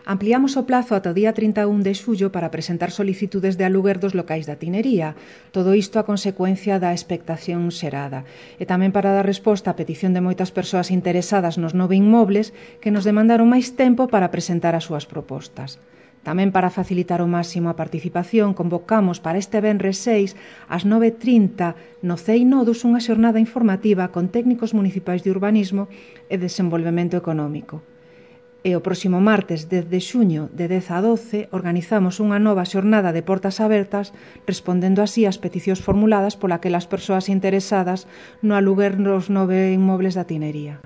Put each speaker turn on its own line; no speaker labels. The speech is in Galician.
Ampliamos o plazo ata o día 31 de xullo para presentar solicitudes de aluguer dos locais da tinería. Todo isto a consecuencia da expectación xerada. E tamén para dar resposta á petición de moitas persoas interesadas nos 9 inmobles que nos demandaron máis tempo para presentar as súas propostas. Tamén para facilitar ao máximo a participación, convocamos para este venres 6 ás 9:30 no CEI Nodus unha xornada informativa con técnicos municipais de urbanismo e desenvolvemento económico. E o próximo martes 10 de xuño de 10 a 12 organizamos unha nova xornada de portas abertas respondendo así ás peticións formuladas polas persoas interesadas no aluguer nos 9 inmobles da tinería.